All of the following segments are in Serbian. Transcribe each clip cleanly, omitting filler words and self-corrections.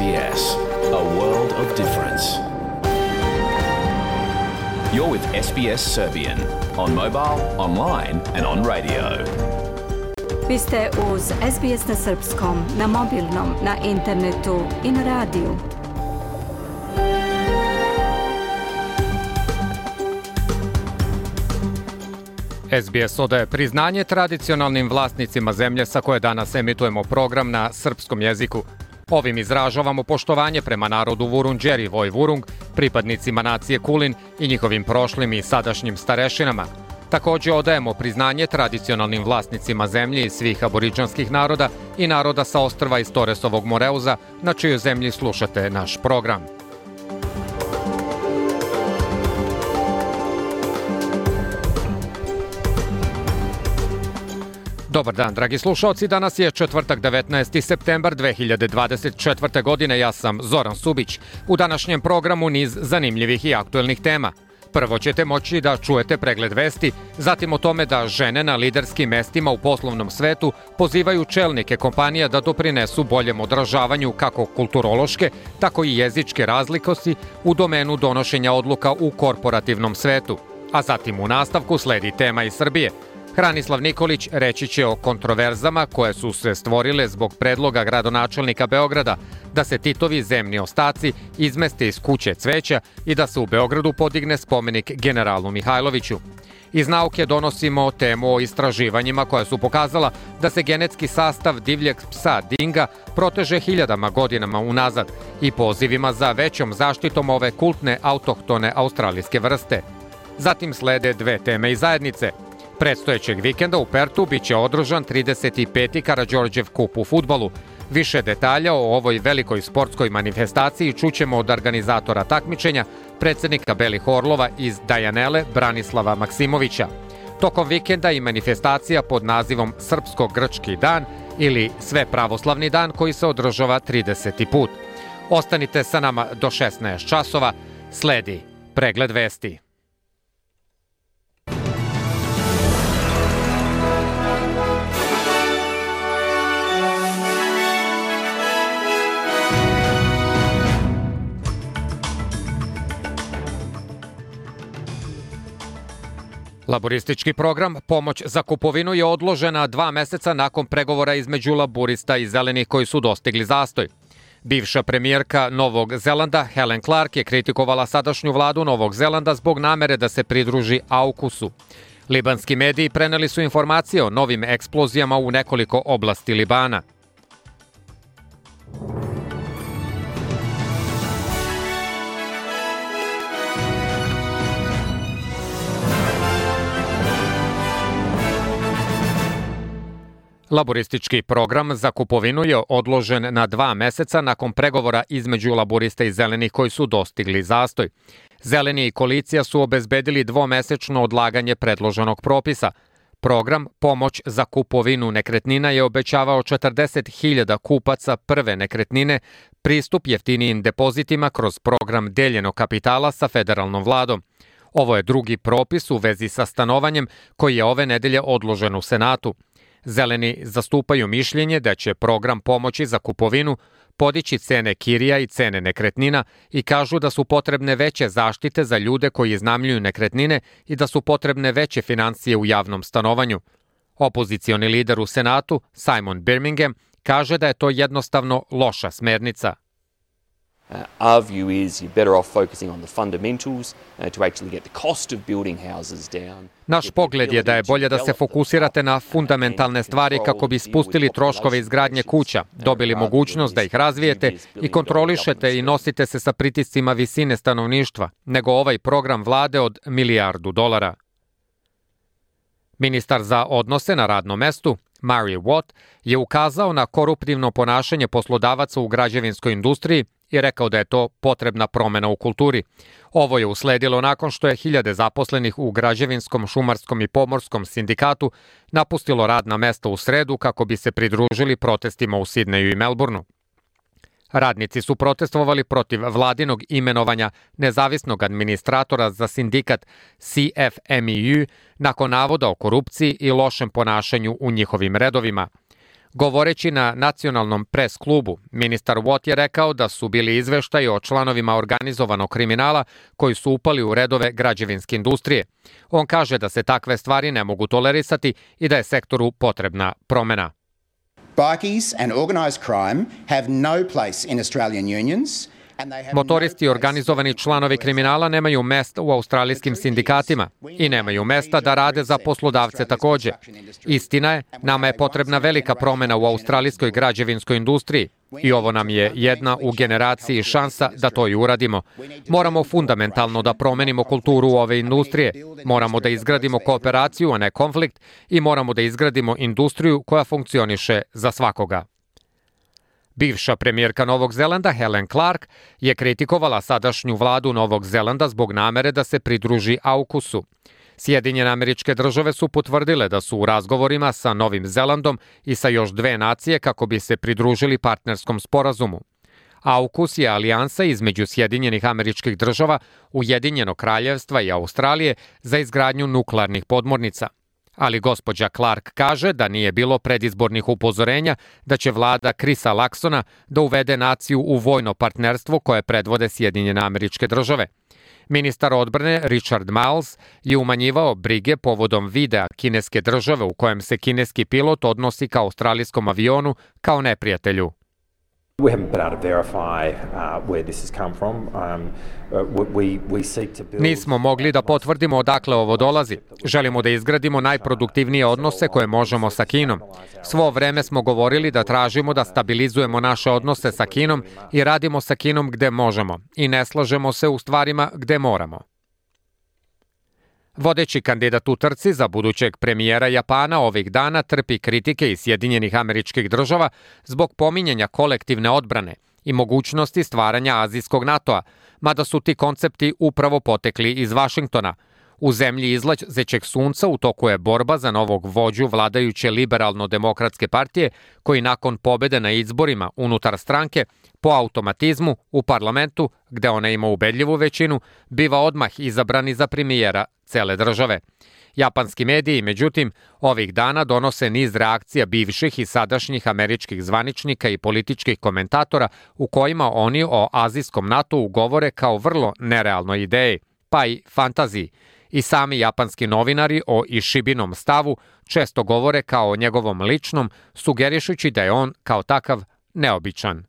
SBS, a world of difference. You're with SBS Serbian on mobile, online and on radio. Vi ste uz SBS na srpskom, na mobilnom, na internetu i na radiju. SBS odaje priznanje tradicionalnim vlasnicima zemlje sa koje danas emitujemo program na srpskom jeziku. Ovim izražavamo poštovanje prema narodu Vurundjeri Vojvurung, pripadnicima nacije Kulin i njihovim prošlim i sadašnjim starešinama. Također odajemo priznanje tradicionalnim vlasnicima zemlje i svih aboriđanskih naroda i naroda sa ostrva iz Toresovog Moreuza, na čijoj zemlji slušate naš program. Dobar dan, dragi slušalci. Danas je četvrtak, 19. septembar 2024. godine. Ja sam Zoran Subić. U današnjem programu niz zanimljivih i aktuelnih tema. Prvo ćete moći da čujete pregled vesti, zatim o tome da žene na liderskim mestima u poslovnom svetu pozivaju čelnike kompanija da doprinesu boljem odražavanju kako kulturološke, tako i jezičke razlikosti u domenu donošenja odluka u korporativnom svetu. A zatim u nastavku sledi tema iz Srbije. Hranislav Nikolić reći će o kontroverzama koje su se stvorile zbog predloga gradonačelnika Beograda da se Titovi zemni ostaci izmeste iz kuće cveća i da se u Beogradu podigne spomenik generalu Mihajloviću. Iz nauke donosimo temu o istraživanjima koja su pokazala da se genetski sastav divljeg psa dinga proteže hiljadama godinama unazad i pozivima za većom zaštitom ove kultne autohtone australijske vrste. Zatim slede dve teme iz zajednice. Predstojećeg vikenda u Pertu biće održan 35. Karađorđev kup u fudbalu. Više detalja o ovoj velikoj sportskoj manifestaciji čućemo od organizatora takmičenja, predsjednika Belih Orlova iz Dajanele, Branislava Maksimovića. Tokom vikenda i manifestacija pod nazivom Srpsko-grčki dan ili Svepravoslavni dan koji se održava 30. put. Ostanite sa nama do 16 časova. Sledi pregled vesti. Laboristički program Pomoć za kupovinu je odložena 2 meseca nakon pregovora između laborista i zelenih koji su dostigli zastoj. Bivša premijerka Novog Zelanda Helen Clark je kritikovala sadašnju vladu Novog Zelanda zbog namere da se pridruži AUKUS-u. Libanski mediji preneli su informacije o novim eksplozijama u nekoliko oblasti Libana. Laboristički program za kupovinu je odložen na 2 meseca nakon pregovora između laborista i zelenih koji su dostigli zastoj. Zeleni i koalicija su obezbedili 2-mesečno odlaganje predloženog propisa. Program Pomoć za kupovinu nekretnina je obećavao 40.000 kupaca prve nekretnine pristup jeftinijim depozitima kroz program deljenog kapitala sa federalnom vladom. Ovo je drugi propis u vezi sa stanovanjem koji je ove nedelje odložen u Senatu. Zeleni zastupaju mišljenje da će program pomoći za kupovinu podići cene kirija i cene nekretnina i kažu da su potrebne veće zaštite za ljude koji iznajmljuju nekretnine i da su potrebne veće financije u javnom stanovanju. Opozicioni lider u Senatu, Simon Birmingham, kaže da je to jednostavno loša smernica. Our view is you're better off focusing on the fundamentals to actually get the cost of building houses down. Naš pogled je da je bolje da se fokusirate na fundamentalne stvari kako bi spustili troškove izgradnje kuća, dobili mogućnost da ih razvijete i kontrolišete i nosite se sa pritiscima visine stanovništva, nego ovaj program vlade od $1 milijardu. Ministar za odnose na radnom mestu, Mary Watt, je ukazao na koruptivno ponašanje poslodavaca u građevinskoj industriji i rekao da je to potrebna promena u kulturi. Ovo je usledilo nakon što je hiljade zaposlenih u građevinskom, šumarskom i pomorskom sindikatu napustilo radna mesta u sredu kako bi se pridružili protestima u Sidneju i Melbourneu. Radnici su protestovali protiv vladinog imenovanja nezavisnog administratora za sindikat CFMEU nakon navoda o korupciji i lošem ponašanju u njihovim redovima. Govoreći na nacionalnom pres klubu, ministar Watt je rekao da su bili izveštaji o članovima organizovanog kriminala koji su upali u redove građevinske industrije. On kaže da se takve stvari ne mogu tolerisati i da je sektoru potrebna promena. Bikies and organised crime have no place in Australian unions. Motoristi i organizovani članovi kriminala nemaju mesta u australijskim sindikatima i nemaju mesta da rade za poslodavce takođe. Istina je, nama je potrebna velika promena u australijskoj građevinskoj industriji i ovo nam je jedna u generaciji šansa da to i uradimo. Moramo fundamentalno da promenimo kulturu ove industrije, moramo da izgradimo kooperaciju, a ne konflikt i moramo da izgradimo industriju koja funkcioniše za svakoga. Bivša premijerka Novog Zelanda Helen Clark je kritikovala sadašnju vladu Novog Zelanda zbog namere da se pridruži AUKUS-u. Sjedinjene Američke Države su potvrdile da su u razgovorima sa Novim Zelandom i sa još 2 nacije kako bi se pridružili partnerskom sporazumu. AUKUS je alijansa između Sjedinjenih Američkih Država, Ujedinjenog Kraljevstva i Australije za izgradnju nuklearnih podmornica. Ali gospođa Clark kaže da nije bilo predizbornih upozorenja da će vlada Chrisa Luxona da uvede naciju u vojno partnerstvo koje predvode Sjedinjene Američke Države. Ministar odbrane Richard Marles je umanjivao brige povodom videa kineske države u kojem se kineski pilot odnosi ka australijskom avionu kao neprijatelju. We haven't been able to verify where this has come from. We seek to build... Nismo mogli da potvrdimo odakle ovo dolazi. Želimo da izgradimo najproduktivnije odnose koje možemo sa Kinom. Svo vreme smo govorili da tražimo da stabilizujemo naše odnose sa Kinom i radimo sa Kinom gde možemo i ne slažemo se u stvarima gde moramo. Vodeći kandidat u trci za budućeg premijera Japana ovih dana trpi kritike iz Sjedinjenih Američkih Država zbog pominjanja kolektivne odbrane i mogućnosti stvaranja azijskog NATO-a, mada su ti koncepti upravo potekli iz Vašingtona. U zemlji izlazećeg sunca u toku je borba za novog vođu vladajuće liberalno-demokratske partije, koji nakon pobede na izborima unutar stranke, po automatizmu u parlamentu, gde ona ima ubedljivu većinu, biva odmah izabrani za premijera cele države. Japanski mediji, međutim, ovih dana donose niz reakcija bivših i sadašnjih američkih zvaničnika i političkih komentatora u kojima oni o azijskom NATO-u govore kao vrlo nerealnoj ideji, pa i fantaziji. I sami japanski novinari o Ishibinom stavu često govore kao o njegovom ličnom, sugerišući da je on kao takav neobičan.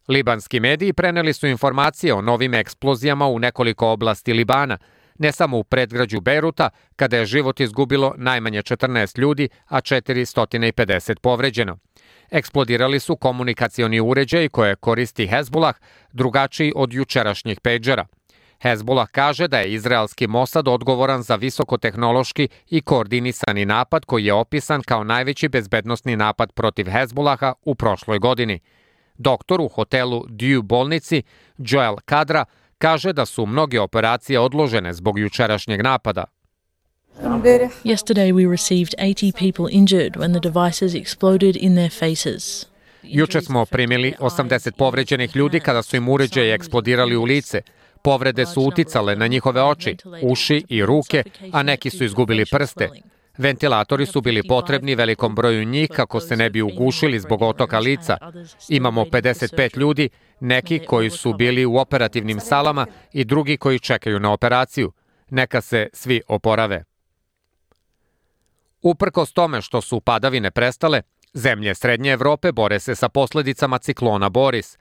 Libanski mediji preneli su informacije o novim eksplozijama u nekoliko oblasti Libana, ne samo u predgrađu Bejruta, kada je život izgubilo najmanje 14 ljudi, a 450 povređeno. Eksplodirali su komunikacioni uređaji koje koristi Hezbollah, drugačiji od jučerašnjih pejđera. Hezbollah kaže da je izraelski Mossad odgovoran za visokotehnološki i koordinisani napad koji je opisan kao najveći bezbednosni napad protiv Hezbollaha u prošloj godini. Doktor u hotelu Dew bolnici, Joel Kadra, kaže da su mnoge operacije odložene zbog jučerašnjeg napada. Yesterday we received 80 people injured when the devices exploded in their faces. Juče smo primili 80 povređenih ljudi kada su im uređaji eksplodirali u lice. Povrede su uticale na njihove oči, uši i ruke, a neki su izgubili prste. Ventilatori su bili potrebni velikom broju njih kako se ne bi ugušili zbog otoka lica. Imamo 55 ljudi, neki koji su bili u operativnim salama i drugi koji čekaju na operaciju. Neka se svi oporave. Uprkos tome što su padavine prestale, zemlje Srednje Evrope bore se sa posledicama ciklona Boris.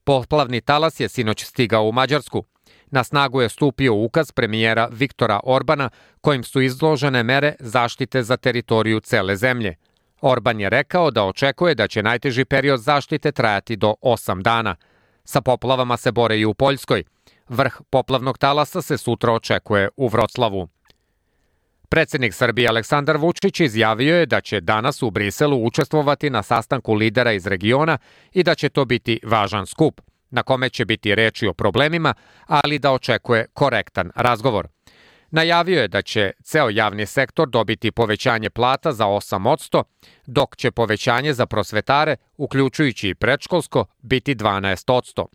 Poplavni talas je sinoć stigao u Mađarsku. Na snagu je stupio ukaz premijera Viktora Orbana kojim su izložene mere zaštite za teritoriju cele zemlje. Orban je rekao da očekuje da će najteži period zaštite trajati do 8 dana. Sa poplavama se bore i u Poljskoj. Vrh poplavnog talasa se sutra očekuje u Vroclavu. Predsednik Srbije Aleksandar Vučić izjavio je da će danas u Briselu učestvovati na sastanku lidera iz regiona i da će to biti važan skup, na kome će biti reči o problemima, ali da očekuje korektan razgovor. Najavio je da će ceo javni sektor dobiti povećanje plata za 8%, dok će povećanje za prosvetare, uključujući i predškolsko, biti 12%.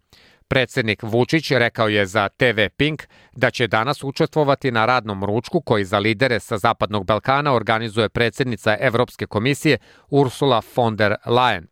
Predsjednik Vučić rekao je za TV Pink da će danas učestvovati na radnom ručku koji za lidere sa Zapadnog Balkana organizuje predsjednica Evropske komisije Ursula von der Leyen.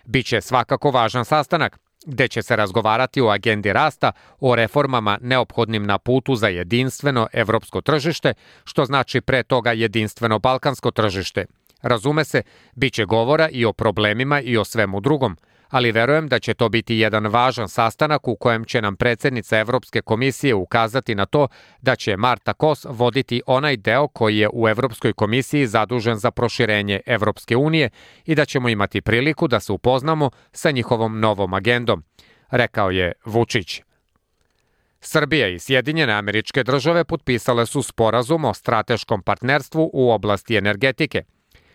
Biće svakako važan sastanak, gde će se razgovarati o agendi rasta, o reformama neophodnim na putu za jedinstveno evropsko tržište, što znači pre toga jedinstveno balkansko tržište. Razume se, bit će govora i o problemima i o svemu drugom, ali verujem da će to biti jedan važan sastanak u kojem će nam predsjednica Evropske komisije ukazati na to da će Marta Kos voditi onaj deo koji je u Evropskoj komisiji zadužen za proširenje Evropske unije i da ćemo imati priliku da se upoznamo sa njihovom novom agendom, rekao je Vučić. Srbija i Sjedinjene Američke Države potpisale su sporazum o strateškom partnerstvu u oblasti energetike.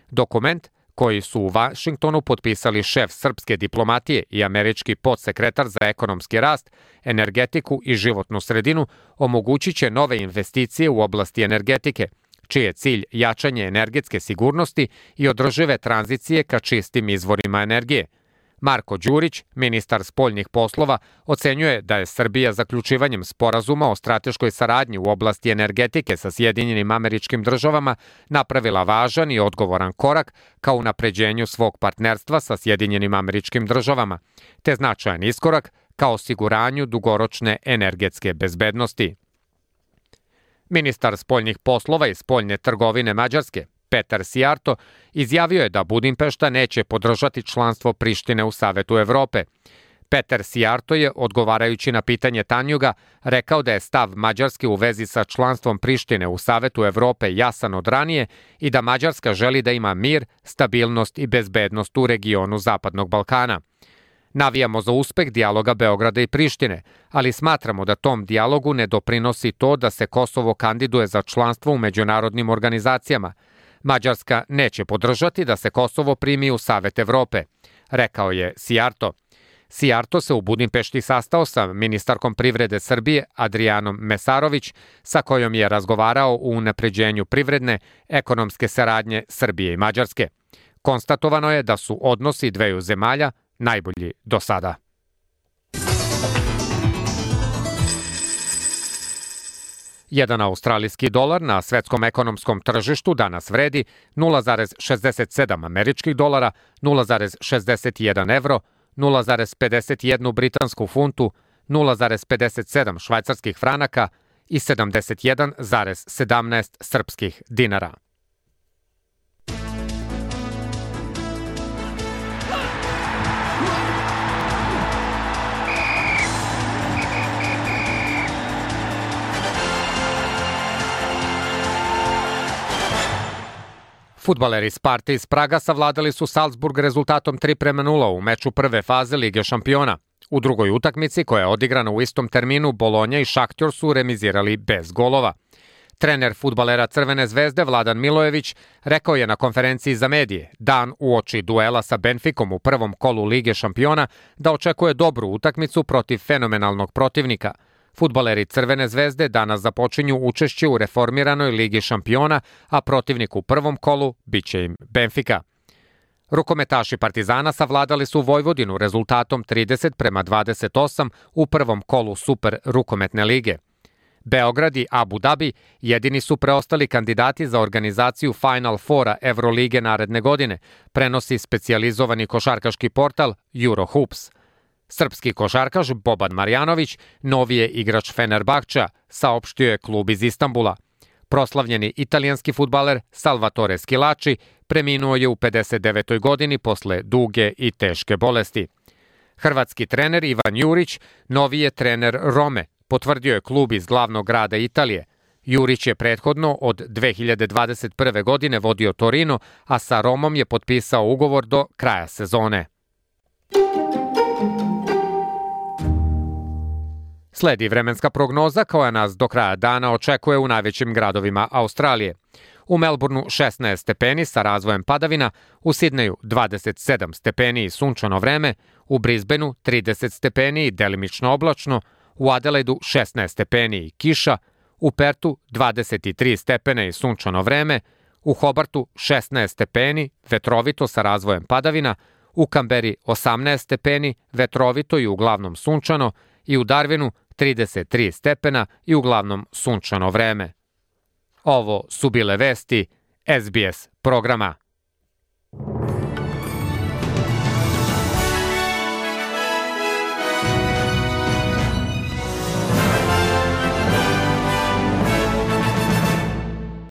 Dokument koji su u Vašingtonu potpisali šef srpske diplomatije i američki podsekretar za ekonomski rast, energetiku i životnu sredinu, omogućit će nove investicije u oblasti energetike, čiji je cilj jačanje energetske sigurnosti i održive tranzicije ka čistim izvorima energije. Marko Đurić, ministar spoljnih poslova, ocenjuje da je Srbija zaključivanjem sporazuma o strateškoj saradnji u oblasti energetike sa Sjedinjenim Američkim Državama napravila važan i odgovoran korak ka unapređenju svog partnerstva sa Sjedinjenim Američkim Državama, te značajan iskorak ka osiguranju dugoročne energetske bezbednosti. Ministar spoljnih poslova i spoljne trgovine Mađarske, Petar Sijarto, izjavio je da Budimpešta neće podržati članstvo Prištine u Savetu Evrope. Petar Sijarto je, odgovarajući na pitanje Tanjuga, rekao da je stav Mađarske u vezi sa članstvom Prištine u Savetu Evrope jasan od ranije i da Mađarska želi da ima mir, stabilnost i bezbednost u regionu Zapadnog Balkana. Navijamo za uspeh dijaloga Beograda i Prištine, ali smatramo da tom dijalogu ne doprinosi to da se Kosovo kandiduje za članstvo u međunarodnim organizacijama. Mađarska neće podržati da se Kosovo primi u Savet Evrope, rekao je Sijarto. Sijarto se u Budimpešti sastao sa ministarkom privrede Srbije Adrijanom Mesarović, sa kojom je razgovarao o unapređenju privredne, ekonomske saradnje Srbije i Mađarske. Konstatovano je da su odnosi dveju zemalja najbolji do sada. Jedan australijski dolar na svetskom ekonomskom tržištu danas vredi 0,67 američkih dolara, 0,61 evro, 0,51 britansku funtu, 0,57 švajcarskih franaka i 71,17 srpskih dinara. Fudbaleri Sparte iz Praga savladali su Salzburg rezultatom 3:0 u meču prve faze Lige šampiona. U drugoj utakmici, koja je odigrana u istom terminu, Bolonja i Šahtjor su remizirali bez golova. Trener fudbalera Crvene zvezde Vladan Milojević rekao je na konferenciji za medije, dan uoči duela sa Benficom u prvom kolu Lige šampiona, da očekuje dobru utakmicu protiv fenomenalnog protivnika. Fudbaleri Crvene zvezde danas započinju učešće u reformiranoj Ligi šampiona, a protivnik u prvom kolu biće im Benfica. Rukometaši Partizana savladali su Vojvodinu rezultatom 30:28 u prvom kolu Super rukometne lige. Beograd i Abu Dhabi jedini su preostali kandidati za organizaciju Final Fora Evrolige naredne godine, prenosi specijalizovani košarkaški portal Eurohoops. Srpski košarkaš Boban Marjanović novi je igrač Fenerbahča, saopštio je klub iz Istanbula. Proslavljeni italijanski fudbaler Salvatore Schillaci preminuo je u 59. godini posle duge i teške bolesti. Hrvatski trener Ivan Jurić novi je trener Rome, potvrdio je klub iz glavnog grada Italije. Jurić je prethodno od 2021. godine vodio Torino, a sa Romom je potpisao ugovor do kraja sezone. Sledi vremenska prognoza koja nas do kraja dana očekuje u najvećim gradovima Australije. U Melbourneu 16 stepeni sa razvojem padavina, u Sidneju 27 stepeni i sunčano vreme, u Brisbaneu 30 stepeni i delimično oblačno, u Adelaidu 16 stepeni i kiša, u Pertu 23 stepene i sunčano vreme, u Hobartu 16 stepeni, vetrovito sa razvojem padavina, u Kamberi 18 stepeni, vetrovito i uglavnom sunčano, i u Darwinu 33 stepena i uglavnom sunčano vreme. Ovo su bile vesti SBS programa.